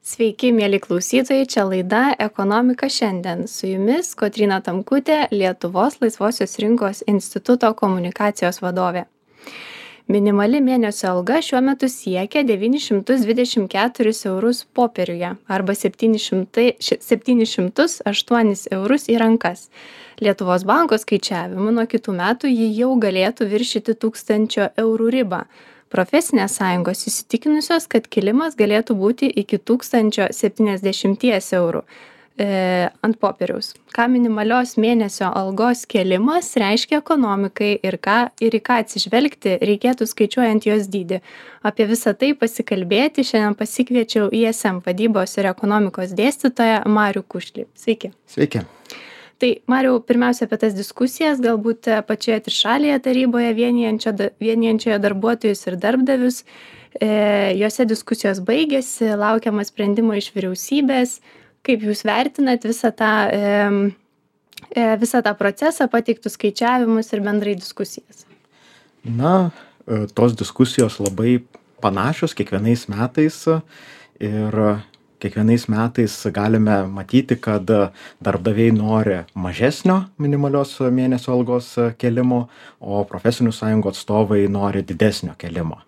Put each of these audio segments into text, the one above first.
Sveiki, mėly klausytojai, čia laida Ekonomika šiandien. Su jumis Kotryna Tamkutė, Lietuvos laisvosios rinkos instituto komunikacijos vadovė. Minimali mėnesio alga šiuo metu siekia 924 eurus popieriuje arba 708 eurus į rankas. Lietuvos banko skaičiavimu nuo kitų metų ji jau galėtų viršyti 1000 eurų ribą. Profesinės sąjungos įsitikinusios, kad kilimas galėtų būti iki 1070 eurų ant popieriaus. Ką minimalios mėnesio algos kėlimas reiškia ekonomikai ir į ką atsižvelgti reikėtų skaičiuojant jos dydį. Apie visą tai pasikalbėti šiandien pasikviečiau ISM vadybos ir ekonomikos dėstytoją Marių Kušlį. Sveiki. Sveiki. Tai, Mariau, pirmiausia apie tas diskusijas, galbūt pačioje trišalėje taryboje vienijančioje darbuotojus ir darbdavius. Jose diskusijos baigėsi, laukiama sprendimo iš vyriausybės. Kaip jūs vertinat visą tą procesą, pateiktus skaičiavimus ir bendrai diskusijas? Na, tos diskusijos labai panašios kiekvienais metais ir kiekvienais metais galime matyti, kad darbdaviai nori mažesnio minimalios mėnesio algos kelimo, o profesinių sąjungų atstovai nori didesnio kelimo.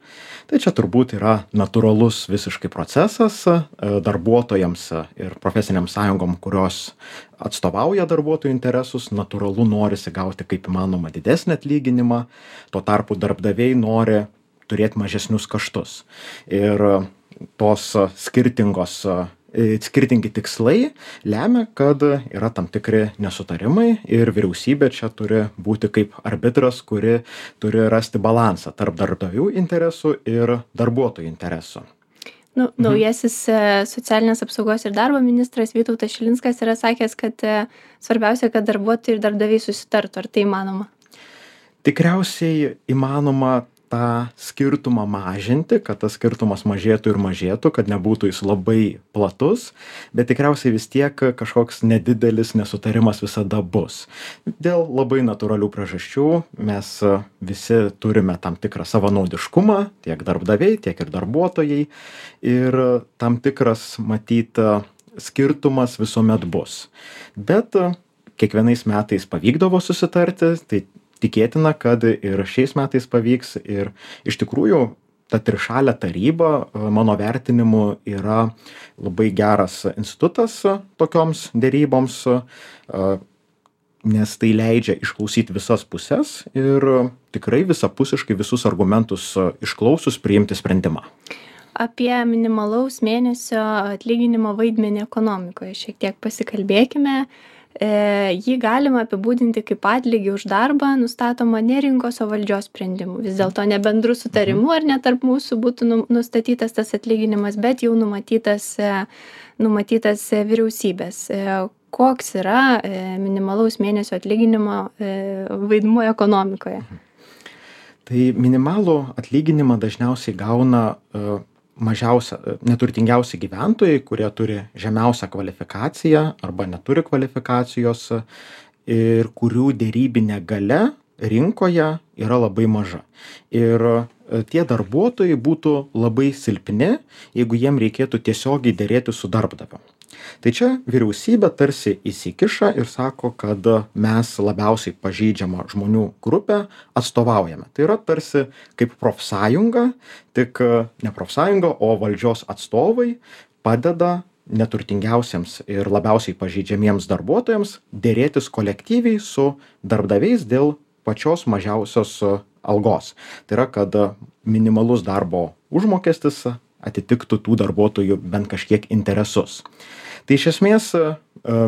Tai čia turbūt yra natūralus visiškai procesas darbuotojams ir profesiniam sąjungom, kurios atstovauja darbuotojų interesus, natūralu norisi gauti kaip įmanoma didesnį atlyginimą, tuo tarpu darbdaviai nori turėti mažesnius kaštus. Ir tos skirtingi tikslai lemia, kad yra tam tikri nesutarimai ir vyriausybė čia turi būti kaip arbitras, kuri turi rasti balansą tarp darbdavių interesų ir darbuotojų interesų. Naujasis socialinės apsaugos ir darbo ministras Vytautas Šilinskas yra sakęs, kad svarbiausia, kad darbuotojai ir darbdaviai susitartų. Ar tai įmanoma? Tikriausiai įmanoma tą skirtumą mažinti, kad tas skirtumas mažėtų ir mažėtų, kad nebūtų jis labai platus, bet tikriausiai vis tiek kažkoks nedidelis nesutarimas visada bus. Dėl labai natūralių priežasčių mes visi turime tam tikrą savanaudiškumą, tiek darbdaviai, tiek ir darbuotojai, ir tam tikras, matyt, skirtumas visuomet bus. Bet kiekvienais metais pavykdavo susitarti, tai tikėtina, kad ir šiais metais pavyks ir iš tikrųjų ta trišalė taryba, mano vertinimu, yra labai geras institutas tokioms deryboms, nes tai leidžia išklausyti visas puses ir tikrai visapusiškai visus argumentus išklausus priimti sprendimą. Apie minimalaus mėnesio atlyginimo vaidmenį ekonomikoje šiek tiek pasikalbėkime. Jį galima apibūdinti kaip atlygį už darbą, nustatoma ne rinkos, o valdžios sprendimų. Vis dėlto ne bendrų sutarimų ar ne tarp mūsų būtų nustatytas tas atlyginimas, bet jau numatytas vyriausybės. Koks yra minimalaus mėnesio atlyginimo vaidmuo ekonomikoje? Tai minimalų atlyginimą dažniausiai gauna neturtingiausi gyventojai, kurie turi žemiausią kvalifikaciją arba neturi kvalifikacijos ir kurių derybinė galia rinkoje yra labai maža. Ir tie darbuotojai būtų labai silpni, jeigu jiem reikėtų tiesiogiai derėti su darbdaviu. Tai čia vyriausybė tarsi įsikiša ir sako, kad mes labiausiai pažeidžiamą žmonių grupę atstovaujame. Tai yra tarsi kaip profsąjunga, tik ne profsąjunga, o valdžios atstovai padeda neturtingiausiems ir labiausiai pažeidžiamiems darbuotojams derėtis kolektyviai su darbdaviais dėl pačios mažiausios algos. Tai yra, kad minimalus darbo užmokestis atitiktų tų darbuotojų bent kažkiek interesus. Tai iš esmės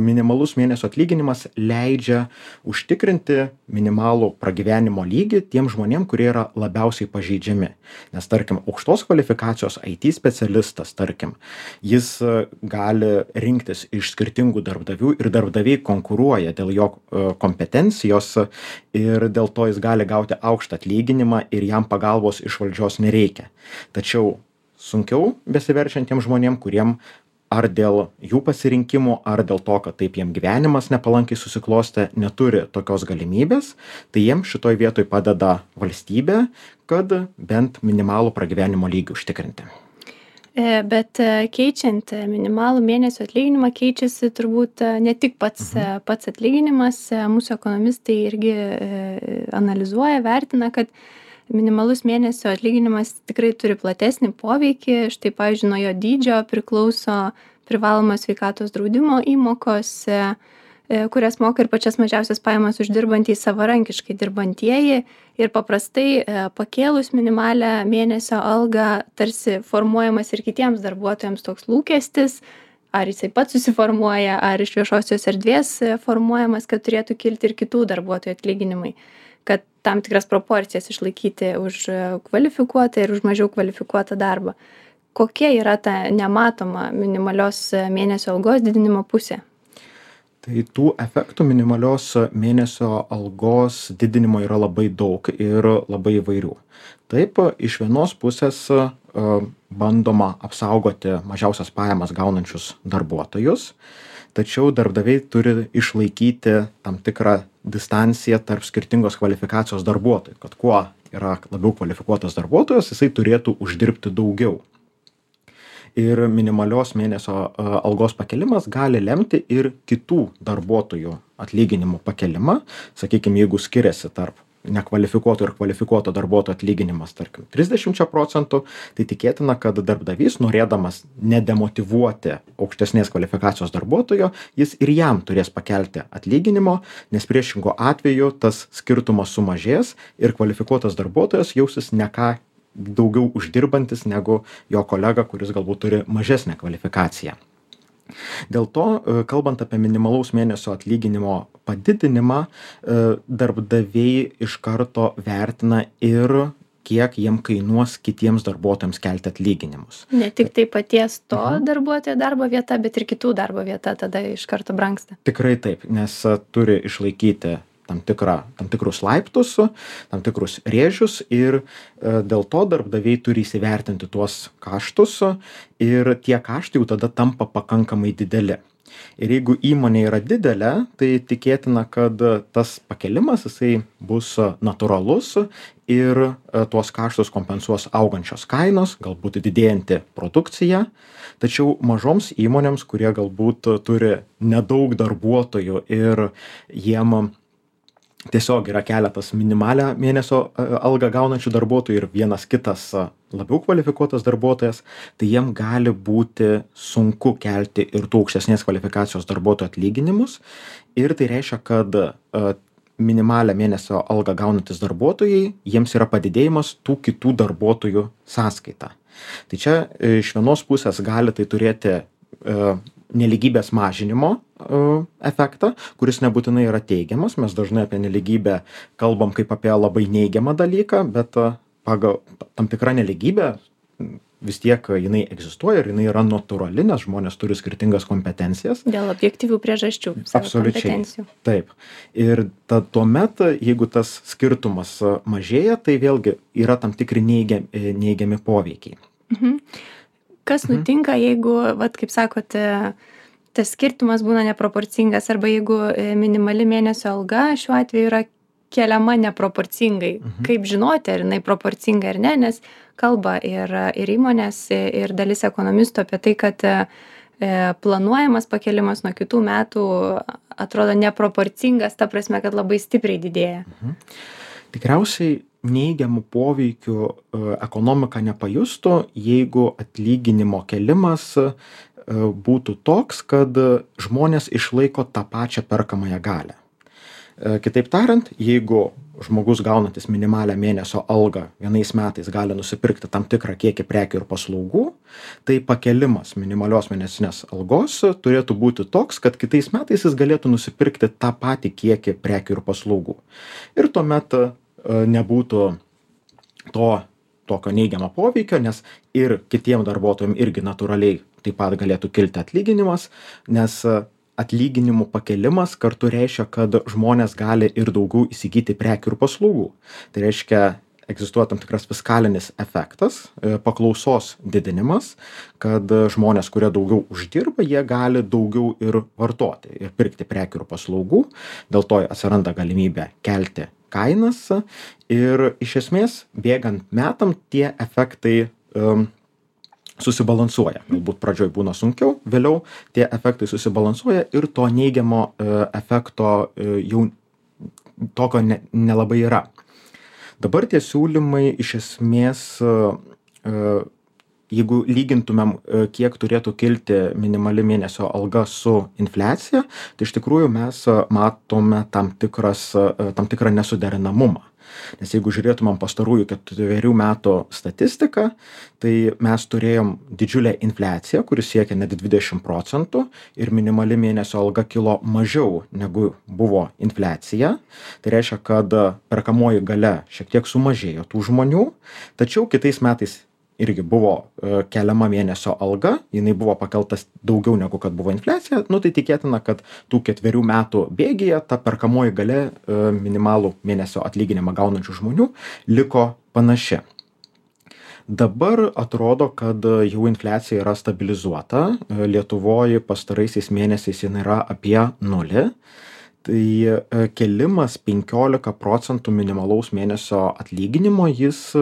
minimalus mėnesio atlyginimas leidžia užtikrinti minimalų pragyvenimo lygį tiem žmonėm, kurie yra labiausiai pažeidžiami. Nes, tarkim, aukštos kvalifikacijos IT specialistas, tarkim, jis gali rinktis iš skirtingų darbdavių ir darbdaviai konkuruoja dėl jo kompetencijos ir dėl to jis gali gauti aukštą atlyginimą ir jam pagalbos iš valdžios nereikia. Tačiau sunkiau besiverčiantiem žmonėm, kuriem ar dėl jų pasirinkimų, ar dėl to, kad taip jiem gyvenimas nepalankiai susiklostė, neturi tokios galimybės, tai jiem šitoj vietoj padeda valstybė, kad bent minimalų pragyvenimo lygį užtikrinti. Bet keičiant minimalų mėnesio atlyginimą keičiasi turbūt ne tik pats atlyginimas. Mūsų ekonomistai irgi analizuoja, vertina, kad minimalus mėnesio atlyginimas tikrai turi platesnį poveikį. Štai, pavyzdžiui, nuo jo dydžio priklauso privalomos sveikatos draudimo įmokos, kurias moka ir pačias mažiausias pajamas uždirbantys savarankiškai dirbantieji. Ir paprastai pakėlus minimalią mėnesio algą tarsi formuojamas ir kitiems darbuotojams toks lūkestis, ar jisai pats susiformuoja, ar iš viešosios erdvės formuojamas, kad turėtų kilti ir kitų darbuotojų atlyginimai, kad tam tikras proporcijas išlaikyti už kvalifikuotą ir už mažiau kvalifikuotą darbą. Kokia yra ta nematoma minimalios mėnesio algos didinimo pusė? Tai tų efektų minimalios mėnesio algos didinimo yra labai daug ir labai įvairių. Taip, iš vienos pusės bandoma apsaugoti mažiausias pajamas gaunančius darbuotojus, tačiau darbdaviai turi išlaikyti tam tikrą distanciją tarp skirtingos kvalifikacijos darbuotojų, kad kuo yra labiau kvalifikuotas darbuotojas, jisai turėtų uždirbti daugiau. Ir minimalios mėnesio algos pakelimas gali lemti ir kitų darbuotojų atlyginimų pakelimą. Sakykime, jeigu skiriasi tarp nekvalifikuoto ir kvalifikuoto darbuotojo atlyginimas, tarkim, 30%, tai tikėtina, kad darbdavys, norėdamas nedemotyvuoti aukštesnės kvalifikacijos darbuotojo, jis ir jam turės pakelti atlyginimo, nes priešingo atveju tas skirtumas sumažės ir kvalifikuotas darbuotojas jausis ne ką daugiau uždirbantis negu jo kolega, kuris galbūt turi mažesnę kvalifikaciją. Dėl to, kalbant apie minimalaus mėnesio atlyginimo padidinimą, darbdaviai iš karto vertina ir kiek jiem kainuos kitiems darbuotojams kelti atlyginimus. Ne tik tai paties to darbuotojo darbo vieta, bet ir kitų darbo vieta tada iš karto brangsta. Tikrai taip, nes turi išlaikyti tam tikrus laiptus, tam tikrus rėžius ir dėl to darbdaviai turi įsivertinti tuos kaštus ir tie kaštai jau tada tampa pakankamai dideli. Ir jeigu įmonė yra didelė, tai tikėtina, kad tas pakelimas jisai bus natūralus ir tuos kaštus kompensuos augančios kainos, galbūt didėjanti produkcija. Tačiau mažoms įmonėms, kurie galbūt turi nedaug darbuotojų ir jiem tiesiog yra keletas minimalią mėnesio algą gaunančių darbuotojų ir vienas kitas labiau kvalifikuotas darbuotojas, tai jiem gali būti sunku kelti ir tų aukštesnės kvalifikacijos darbuotojų atlyginimus. Ir tai reiškia, kad minimalią mėnesio algą gaunantis darbuotojai, jiems yra padidėjimas tų kitų darbuotojų sąskaita. Tai čia iš vienos pusės gali tai turėti nelygybės mažinimo efektą, kuris nebūtinai yra teigiamas. Mes dažnai apie nelygybę kalbam kaip apie labai neigiamą dalyką, bet pagal tam tikrą nelygybę vis tiek jinai egzistuoja ir jinai yra natūrali, nes žmonės turi skirtingas kompetencijas. Dėl objektyvių priežasčių. Absoliučiai. Taip. Ir tuomet, jeigu tas skirtumas mažėja, tai vėlgi yra tam tikri neigiami poveikiai. Kas nutinka, jeigu, kaip sakote, tas skirtumas būna neproporcingas arba jeigu minimali mėnesio alga šiuo atveju yra keliama neproporcingai? Kaip žinoti, ar jinai proporcinga ar ne, nes kalba ir įmonės, ir dalis ekonomistų apie tai, kad planuojamas pakelimas nuo kitų metų atrodo neproporcingas, ta prasme, kad labai stipriai didėja. Tikriausiai neigiamų poveikių ekonomika nepajustų, jeigu atlyginimo kelimas būtų toks, kad žmonės išlaiko tą pačią perkamąją galią. Kitaip tariant, jeigu žmogus gaunantis minimalią mėnesio algą vienais metais gali nusipirkti tam tikrą kiekį prekių ir paslaugų, tai pakelimas minimalios mėnesinės algos turėtų būti toks, kad kitais metais jis galėtų nusipirkti tą patį kiekį prekių ir paslaugų. Ir tuomet nebūtų tokio neigiamo poveikio, nes ir kitiem darbuotojams irgi natūraliai taip pat galėtų kilti atlyginimas, nes atlyginimų pakelimas kartu reiškia, kad žmonės gali ir daugiau įsigyti prekių ir paslaugų. Tai reiškia, egzistuoja tam tikras fiskalinis efektas, paklausos didinimas, kad žmonės, kurie daugiau uždirba, jie gali daugiau ir vartoti ir pirkti prekių ir paslaugų, dėl to atsiranda galimybė kelti kainas ir iš esmės bėgant metam tie efektai susibalansuoja. Galbūt pradžioj būna sunkiau, vėliau tie efektai susibalansuoja ir to neigiamo efekto jau tokio nelabai yra. Dabar tie siūlymai iš esmės, jeigu lygintumėm, kiek turėtų kilti minimali mėnesio alga su infliacija, tai iš tikrųjų mes matome tam tikrą nesuderinamumą. Nes jeigu žiūrėtumėm pastarųjų 4 metų statistiką, tai mes turėjom didžiulę infliaciją, kuris siekia net 20% ir minimali mėnesio alga kilo mažiau negu buvo infliacija. Tai reiškia, kad perkamoji galia šiek tiek sumažėjo tų žmonių, tačiau kitais metais irgi buvo keliama mėnesio alga, jinai buvo pakeltas daugiau negu kad buvo infliacija, tai tikėtina, kad tų 4 metų bėgyje ta perkamoji galia minimalų mėnesio atlyginimą gaunančių žmonių liko panaši. Dabar atrodo, kad jau infliacija yra stabilizuota, Lietuvoje pastaraisiais mėnesiais jinai yra apie 0. Tai kėlimas 15% minimalaus mėnesio atlyginimo, jis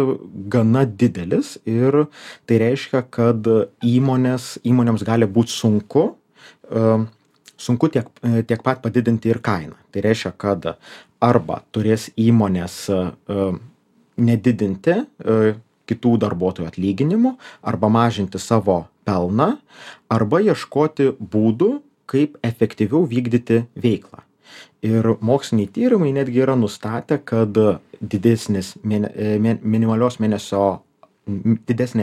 gana didelis ir tai reiškia, kad įmonėms gali būti sunku tiek pat padidinti ir kainą. Tai reiškia, kad arba turės įmonės nedidinti kitų darbuotojų atlyginimų, arba mažinti savo pelną, arba ieškoti būdų, kaip efektyviau vykdyti veiklą. Ir moksliniai tyrimai netgi yra nustatę, kad didesnė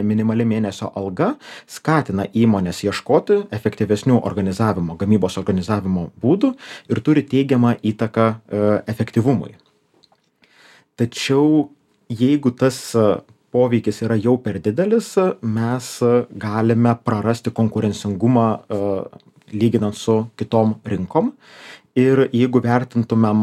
minimali mėnesio alga skatina įmonės ieškoti efektyvesnių gamybos organizavimo būdų ir turi teigiamą įtaką efektyvumui. Tačiau jeigu tas poveikis yra jau per didelis, mes galime prarasti konkurencingumą lyginant su kitom rinkom. Ir jeigu vertintumėm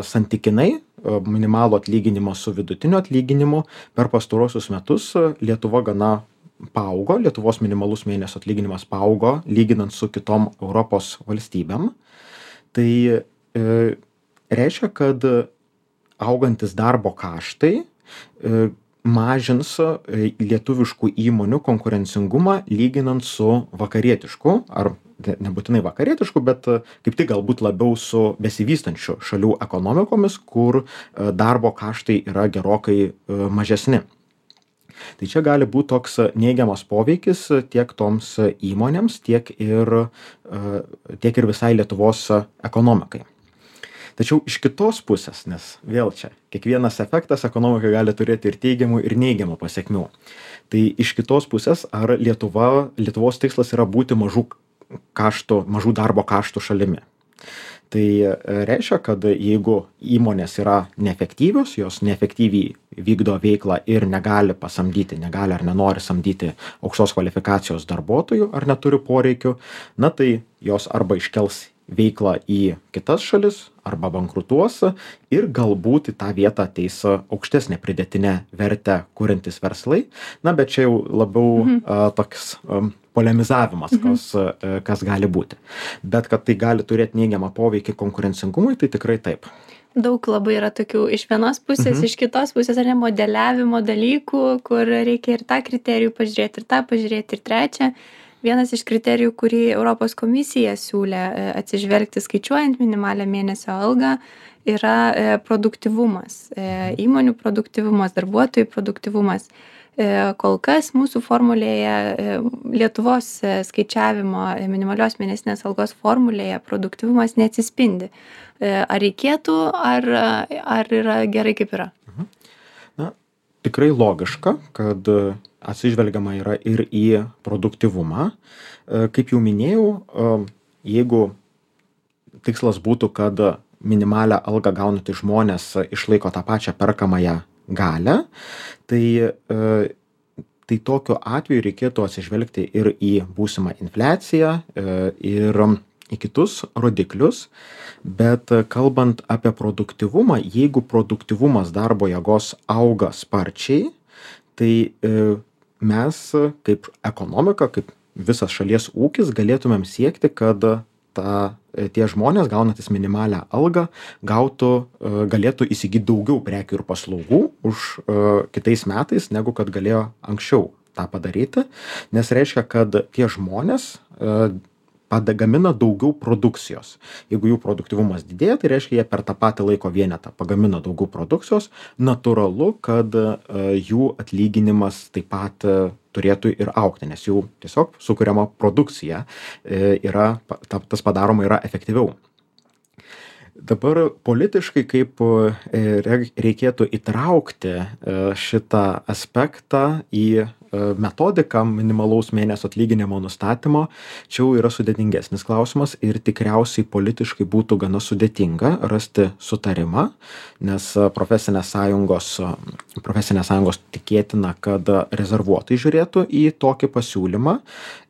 santykinai minimalų atlyginimą su vidutiniu atlyginimu, per pastaruosius metus Lietuva gana paaugo, Lietuvos minimalus mėnesio atlyginimas paaugo, lyginant su kitom Europos valstybėm. Tai reiškia, kad augantis darbo kaštai mažins lietuviškų įmonių konkurencingumą lyginant su vakarietišku, ar nebūtinai vakarietišku, bet kaip tik galbūt labiau su besivystančių šalių ekonomikomis, kur darbo kaštai yra gerokai mažesni. Tai čia gali būti toks neigiamas poveikis tiek toms įmonėms, tiek ir visai Lietuvos ekonomikai. Tačiau iš kitos pusės, nes vėl čia kiekvienas efektas ekonomikai gali turėti ir teigiamų, ir neigiamų pasekmių. Tai iš kitos pusės, ar Lietuvos tikslas yra būti mažų darbo kaštų šalimi. Tai reiškia, kad jeigu įmonės yra neefektyvios, jos neefektyviai vykdo veiklą ir negali ar nenori samdyti aukštos kvalifikacijos darbuotojų, ar neturi poreikių, tai jos arba iškels veiklą į kitas šalis, arba bankrutuos ir galbūt į tą vietą ateis aukštesnę pridėtinę vertę kuriantys verslai. Bet čia jau labiau toks polemizavimas, kas gali būti. Bet kad tai gali turėti neigiamą poveikį konkurencingumui, tai tikrai taip. Daug labai yra tokių iš vienos pusės, iš kitos pusės, ar ne, modeliavimo dalykų, kur reikia ir tą kriterijų pažiūrėti, ir tą pažiūrėti, ir trečią. Vienas iš kriterijų, kurį Europos komisija siūlė atsižvelgti skaičiuojant minimalią mėnesio algą, yra produktyvumas, įmonių produktyvumas, darbuotojų produktyvumas. Kol kas mūsų formulėje, Lietuvos skaičiavimo minimalios mėnesinės algos formulėje produktyvumas neatsispindi. Ar reikėtų, ar yra gerai kaip yra? Tikrai logiška, kad atsižvelgiama yra ir į produktyvumą. Kaip jau minėjau, jeigu tikslas būtų, kad minimalią algą gaunantys žmonės išlaiko tą pačią perkamąją galią, tai tokiu atveju reikėtų atsižvelgti ir į būsimą infliaciją, ir į kitus rodiklius. Bet kalbant apie produktyvumą, jeigu produktyvumas darbo jėgos auga sparčiai, tai mes kaip ekonomika, kaip visas šalies ūkis galėtumėm siekti, kad tie žmonės gaunantis minimalią algą galėtų įsigyti daugiau prekių ir paslaugų už kitais metais, negu kad galėjo anksčiau tą padaryti, nes reiškia, kad tie žmonės gamina daugiau produkcijos. Jeigu jų produktyvumas didėja, tai reiškia, jie per tą patį laiko vienetą pagamina daugiau produkcijos. Natūralu, kad jų atlyginimas taip pat turėtų ir augti, nes jų tiesiog sukuriama produkcija tas padaroma yra efektyviau. Dabar politiškai kaip reikėtų įtraukti šitą aspektą į metodiką minimalaus mėnesio atlyginimo nustatymo, čia jau yra sudėtingesnis klausimas ir tikriausiai politiškai būtų gana sudėtinga rasti sutarimą, nes profesinės sąjungos tikėtina, kad rezervuotai žiūrėtų į tokį pasiūlymą,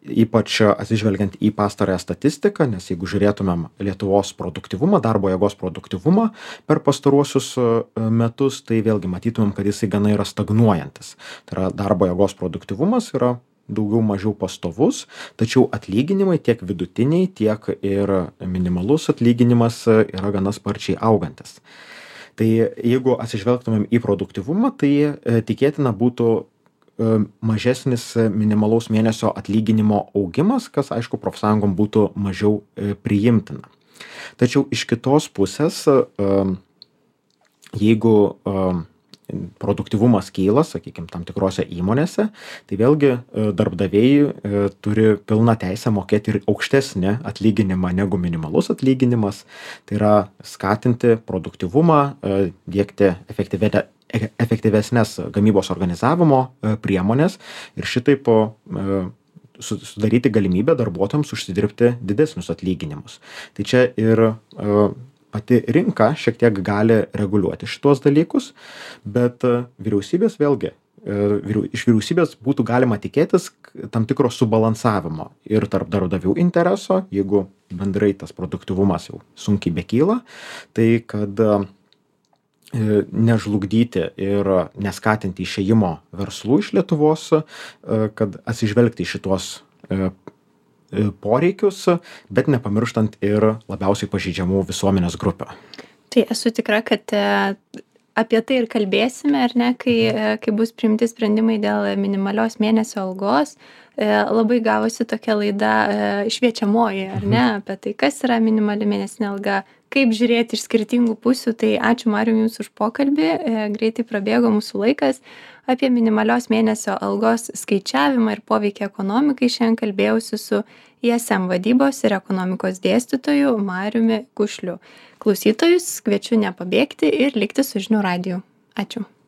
ypač atsižvelgiant į pastarąją statistiką, nes jeigu žiūrėtumėm Lietuvos produktyvumą, darbo jėgos produktyvumą per pastaruosius metus, tai vėlgi matytumėm, kad jisai gana yra stagnuojantis. Tai yra darbo jėgos produktyvumas yra daugiau mažiau pastovus, tačiau atlyginimai tiek vidutiniai, tiek ir minimalus atlyginimas yra gana sparčiai augantis. Tai jeigu atsižvelgtumėm į produktyvumą, tai tikėtina būtų mažesnis minimalaus mėnesio atlyginimo augimas, kas aišku profsąjungom būtų mažiau priimtina. Tačiau iš kitos pusės, jeigu produktyvumas kyla, sakykime, tam tikrose įmonėse, tai vėlgi darbdaviai turi pilną teisę mokėti ir aukštesnį atlyginimą negu minimalus atlyginimas. Tai yra skatinti produktyvumą, diegti efektyvesnės gamybos organizavimo priemonės ir šitaip sudaryti galimybę darbuotojams užsidirbti didesnius atlyginimus. Tai čia ir pati rinka šiek tiek gali reguliuoti šitos dalykus, bet vyriausybės vėlgi, iš vyriausybės būtų galima tikėtis tam tikro subalansavimo ir tarp darbdavių intereso, jeigu bendrai tas produktyvumas jau sunkiai bekyla, tai kad nežlugdyti ir neskatinti išėjimo verslų iš Lietuvos, kad atsižvelgti į šitos poreikius, bet nepamirštant ir labiausiai pažeidžiamų visuomenės grupių. Tai esu tikra, kad apie tai ir kalbėsime, ar ne, kai bus priimti sprendimai dėl minimalios mėnesio algos. Labai gavosi tokia laida šviečiamoji, ar ne, apie tai, kas yra minimali mėnesinė alga, kaip žiūrėti iš skirtingų pusių. Tai ačiū Mariau Jums už pokalbį, greitai prabėgo mūsų laikas. Apie minimalios mėnesio algos skaičiavimą ir poveikį ekonomikai šiandien kalbėjausi su ISM vadybos ir ekonomikos dėstytoju Mariumi Kušliu. Klausytojus kviečiu nepabėgti ir likti su žinių radiju. Ačiū.